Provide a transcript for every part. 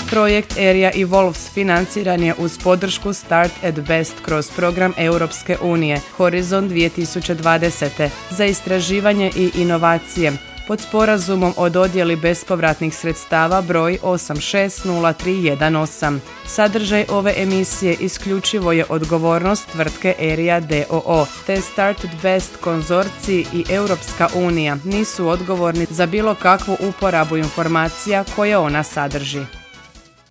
Projekt Area Evolves financiran je uz podršku Start at Best kroz program Europske unije Horizon 2020. za istraživanje i inovacije pod sporazumom o dodjeli bespovratnih sredstava broj 860318. Sadržaj ove emisije isključivo je odgovornost tvrtke Area d.o.o. te Start at Best konzorcij i Europska unija nisu odgovorni za bilo kakvu uporabu informacija koje ona sadrži.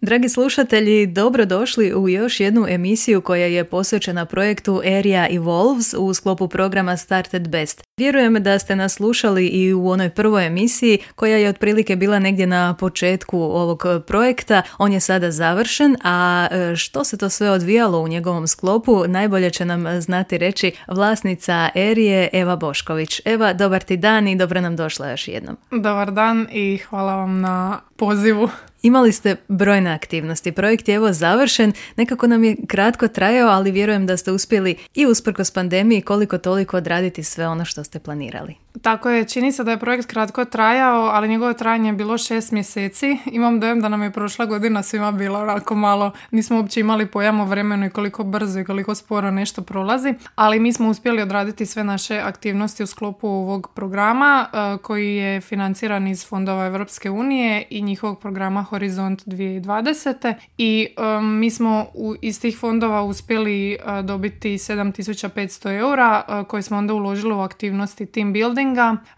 Dragi slušatelji, dobrodošli u još jednu emisiju koja je posvećena projektu Area Evolves u sklopu programa Start at Best. Vjerujem da ste nas slušali i u onoj prvoj emisiji koja je otprilike bila negdje na početku ovog projekta. On je sada završen, a što se to sve odvijalo u njegovom sklopu najbolje će nam znati reći vlasnica Erije Eva Bošković. Eva, dobar ti dan i dobro nam došla još jednom. Dobar dan i hvala vam na pozivu. Imali ste brojne aktivnosti. Projekt je evo završen, nekako nam je kratko trajao, ali vjerujem da ste uspjeli i usprkos pandemiji koliko toliko odraditi sve ono što ste planirali. Tako je, čini se da je projekt kratko trajao, ali njegovo trajanje je bilo 6 mjeseci. Imam dojam da nam je prošla godina svima bila onako malo, nismo uopće imali pojam o vremenu i koliko brzo i koliko sporo nešto prolazi, ali mi smo uspjeli odraditi sve naše aktivnosti u sklopu ovog programa koji je financiran iz fondova Europske unije i njihovog programa Horizont 2020. I mi smo iz tih fondova uspjeli dobiti 7500 eura koje smo onda uložili u aktivnosti team buildinga,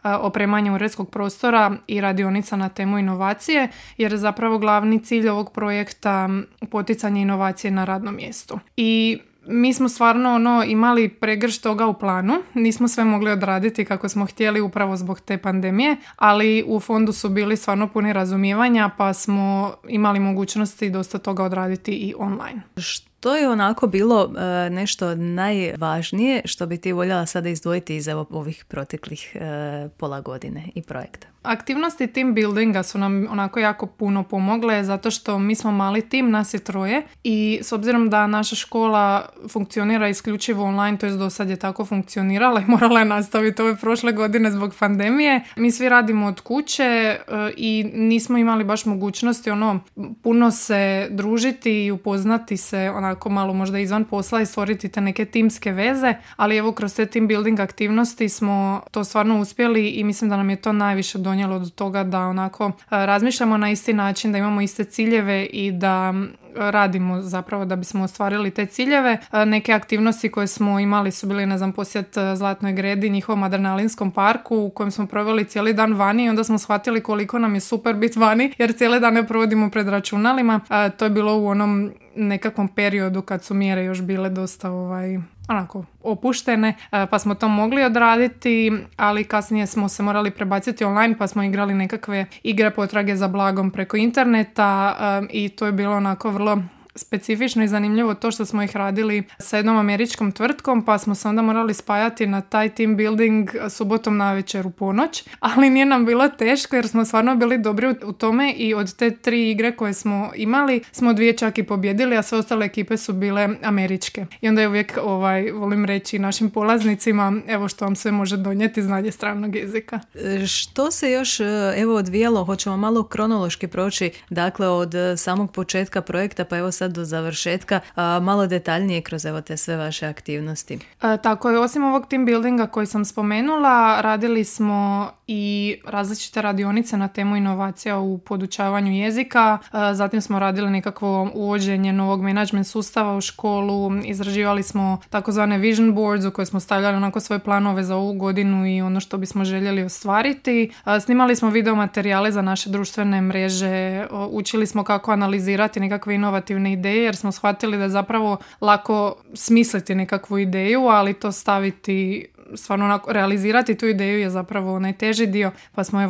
opremanje uredskog prostora i radionica na temu inovacije, jer je zapravo glavni cilj ovog projekta poticanje inovacije na radnom mjestu. I mi smo stvarno imali pregršt toga u planu, nismo sve mogli odraditi kako smo htjeli upravo zbog te pandemije, ali u fondu su bili stvarno puni razumijevanja pa smo imali mogućnosti dosta toga odraditi i online. To je onako bilo nešto najvažnije što bi ti voljela sada izdvojiti iz ovih proteklih pola godine i projekta. Aktivnosti team buildinga su nam onako jako puno pomogle zato što mi smo mali tim, nas je 3 i s obzirom da naša škola funkcionira isključivo online, to jest do sad je tako funkcionirala i morala je nastaviti ove prošle godine zbog pandemije. Mi svi radimo od kuće i nismo imali baš mogućnosti puno se družiti i upoznati se onako malo možda izvan posla i stvoriti te neke timske veze, ali evo kroz te team building aktivnosti smo to stvarno uspjeli i mislim da nam je to najviše donijelo do toga da onako razmišljamo na isti način, da imamo iste ciljeve i da radimo zapravo da bismo ostvarili te ciljeve. Neke aktivnosti koje smo imali su bili, posjet Zlatnoj gredi, njihovom adrenalinskom parku u kojem smo proveli cijeli dan vani i onda smo shvatili koliko nam je super biti vani jer cijele dane provodimo pred računalima. To je bilo u onom nekakvom periodu kad su mjere još bile dosta opuštene, pa smo to mogli odraditi, ali kasnije smo se morali prebaciti online pa smo igrali nekakve igre potrage za blagom preko interneta i to je bilo onako vrlo specifično i zanimljivo to što smo ih radili sa jednom američkom tvrtkom, pa smo se onda morali spajati na taj team building subotom navečer u ponoć, ali nije nam bilo teško jer smo stvarno bili dobri u tome i od te 3 igre koje smo imali smo 2 čak i pobjedili, a sve ostale ekipe su bile američke. I onda je uvijek volim reći našim polaznicima evo što vam sve može donijeti znanje stranog jezika. Što se još odvijalo, hoćemo malo kronološki proći, dakle od samog početka projekta pa evo sad do završetka, malo detaljnije kroz te sve vaše aktivnosti. Tako je, osim ovog team buildinga koji sam spomenula, radili smo i različite radionice na temu inovacija u podučavanju jezika, zatim smo radili nekakvo uvođenje novog management sustava u školu, izraživali smo takozvane vision boards u koje smo stavljali onako svoje planove za ovu godinu i ono što bismo željeli ostvariti. Snimali smo video materijale za naše društvene mreže, učili smo kako analizirati nekakve inovativne ideje jer smo shvatili da je zapravo lako smisliti nekakvu ideju, ali to staviti stvarno realizirati tu ideju je zapravo najteži dio, pa smo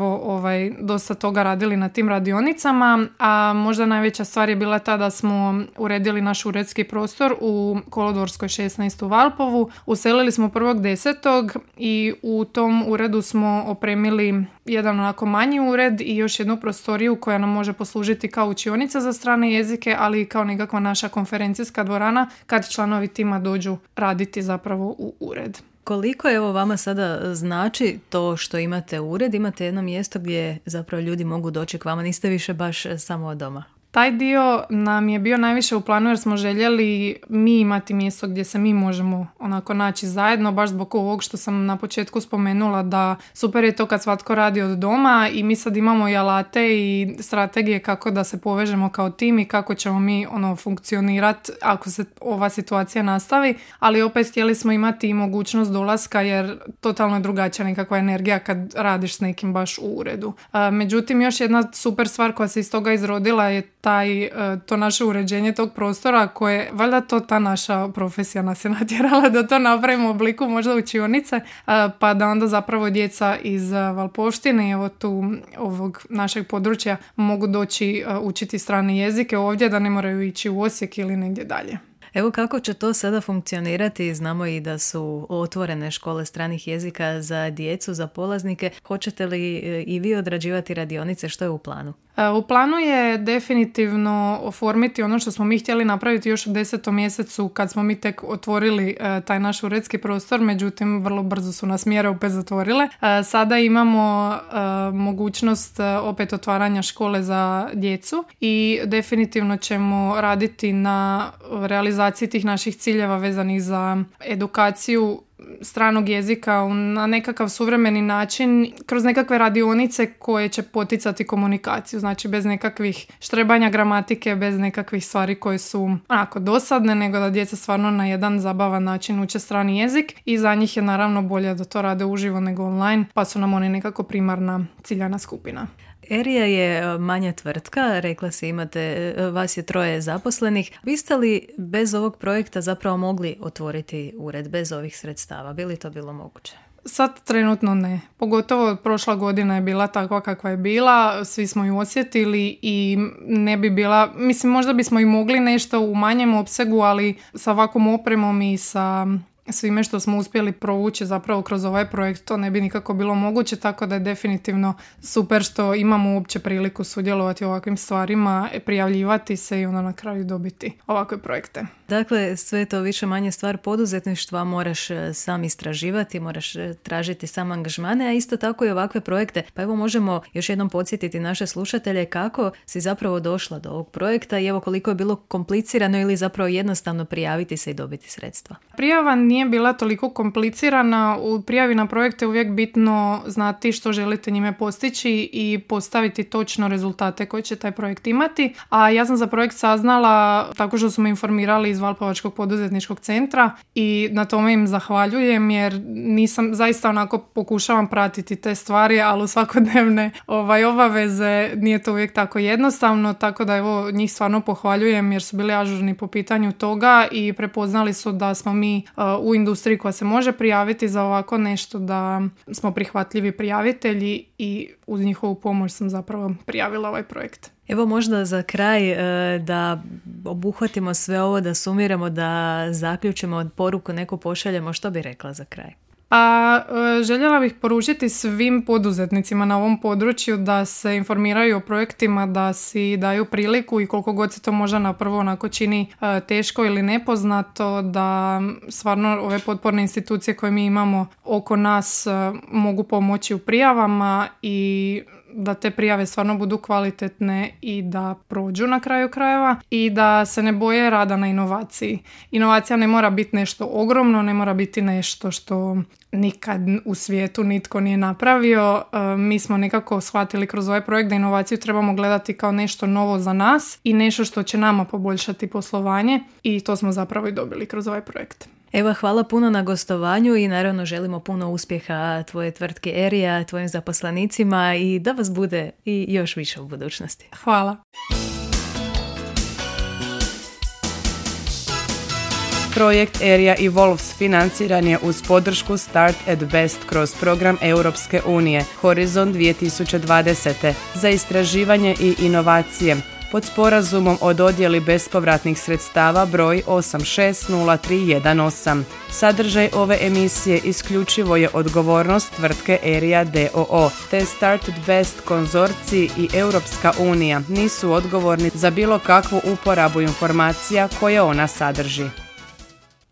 dosta toga radili na tim radionicama, a možda najveća stvar je bila ta da smo uredili naš uredski prostor u Kolodvorskoj 16 u Valpovu. Uselili smo 1.10. i u tom uredu smo opremili jedan onako manji ured i još jednu prostoriju koja nam može poslužiti kao učionica za strane jezike, ali i kao nekakva naša konferencijska dvorana kad članovi tima dođu raditi zapravo u ured. Koliko evo vama sada znači to što imate ured, imate jedno mjesto gdje zapravo ljudi mogu doći k vama, niste više baš samo od doma? Taj dio nam je bio najviše u planu jer smo željeli mi imati mjesto gdje se mi možemo onako naći zajedno, baš zbog ovog što sam na početku spomenula da super je to kad svatko radi od doma i mi sad imamo i alate i strategije kako da se povežemo kao tim i kako ćemo mi funkcionirati ako se ova situacija nastavi, ali opet htjeli smo imati i mogućnost dolaska jer totalno je drugačija nekakva energija kad radiš s nekim baš u uredu. Međutim, još jedna super stvar koja se iz toga izrodila je to naše uređenje tog prostora koje, valjda to ta naša profesija nas je natjerala da to napravimo u obliku možda učionice, pa da onda zapravo djeca iz Valpovštine, evo tu ovog našeg područja, mogu doći učiti strane jezike ovdje, da ne moraju ići u Osijek ili negdje dalje. Evo kako će to sada funkcionirati, znamo i da su otvorene škole stranih jezika za djecu, za polaznike. Hoćete li i vi odrađivati radionice, što je u planu? U planu je definitivno oformiti ono što smo mi htjeli napraviti još u 10. mjesecu kad smo mi tek otvorili taj naš uredski prostor, međutim vrlo brzo su nas mjere opet zatvorile. Sada imamo mogućnost opet otvaranja škole za djecu i definitivno ćemo raditi na realizaciji tih naših ciljeva vezanih za edukaciju stranog jezika na nekakav suvremeni način kroz nekakve radionice koje će poticati komunikaciju, znači bez nekakvih štrebanja gramatike, bez nekakvih stvari koje su onako dosadne, nego da djeca stvarno na jedan zabavan način uče strani jezik i za njih je naravno bolje da to rade uživo nego online, pa su nam oni nekako primarna ciljana skupina. Erija je manja tvrtka, rekla si imate, vas je 3 zaposlenih. Biste li bez ovog projekta zapravo mogli otvoriti ured bez ovih sredstava? Bi li to bilo moguće? Sad trenutno ne. Pogotovo prošla godina je bila takva kakva je bila, svi smo ju osjetili i ne bi bila, mislim možda bismo i mogli nešto u manjem opsegu, ali sa ovakvom opremom i sa svime što smo uspjeli provući zapravo kroz ovaj projekt to ne bi nikako bilo moguće, tako da je definitivno super što imamo uopće priliku sudjelovati u ovakvim stvarima, prijavljivati se i onda na kraju dobiti ovakve projekte. Dakle, sve to više manje stvar poduzetništva, moraš sam istraživati, moraš tražiti sam angažmane, a isto tako i ovakve projekte. Pa evo možemo još jednom podsjetiti naše slušatelje kako si zapravo došla do ovog projekta i evo koliko je bilo komplicirano ili zapravo jednostavno prijaviti se i dobiti sredstva. Prijava nije bila toliko komplicirana. U prijavi na projekte je uvijek bitno znati što želite njime postići i postaviti točno rezultate koje će taj projekt imati. A ja sam za projekt saznala tako što su me informirali iz Valpovačkog poduzetničkog centra i na tome im zahvaljujem jer nisam, zaista onako pokušavam pratiti te stvari, ali u svakodnevne obaveze nije to uvijek tako jednostavno, tako da evo njih stvarno pohvaljujem jer su bili ažurni po pitanju toga i prepoznali su da smo mi u industriji koja se može prijaviti za ovako nešto, da smo prihvatljivi prijavitelji i uz njihovu pomoć sam zapravo prijavila ovaj projekt. Evo možda za kraj da obuhvatimo sve ovo, da sumiramo, da zaključimo poruku, neku pošaljemo, što bi rekla za kraj? Pa željela bih poručiti svim poduzetnicima na ovom području da se informiraju o projektima, da si daju priliku i koliko god se to možda na prvo onako čini teško ili nepoznato, da stvarno ove potporne institucije koje mi imamo oko nas mogu pomoći u prijavama i da te prijave stvarno budu kvalitetne i da prođu na kraju krajeva i da se ne boje rada na inovaciji. Inovacija ne mora biti nešto ogromno, ne mora biti nešto što nikad u svijetu nitko nije napravio. Mi smo nekako shvatili kroz ovaj projekt da inovaciju trebamo gledati kao nešto novo za nas i nešto što će nama poboljšati poslovanje i to smo zapravo i dobili kroz ovaj projekt. Evo, hvala puno na gostovanju i naravno želimo puno uspjeha tvoje tvrtke Erija, tvojim zaposlenicima i da vas bude i još više u budućnosti. Hvala. Projekt Erija Evolves financiran je uz podršku Start at Best kroz program Europske unije Horizon 2020. za istraživanje i inovacije pod sporazumom o dodjeli bespovratnih sredstava broj 860318. Sadržaj ove emisije isključivo je odgovornost tvrtke Erija d.o.o. te Start at Best konzorcij i Europska unija nisu odgovorni za bilo kakvu uporabu informacija koje ona sadrži.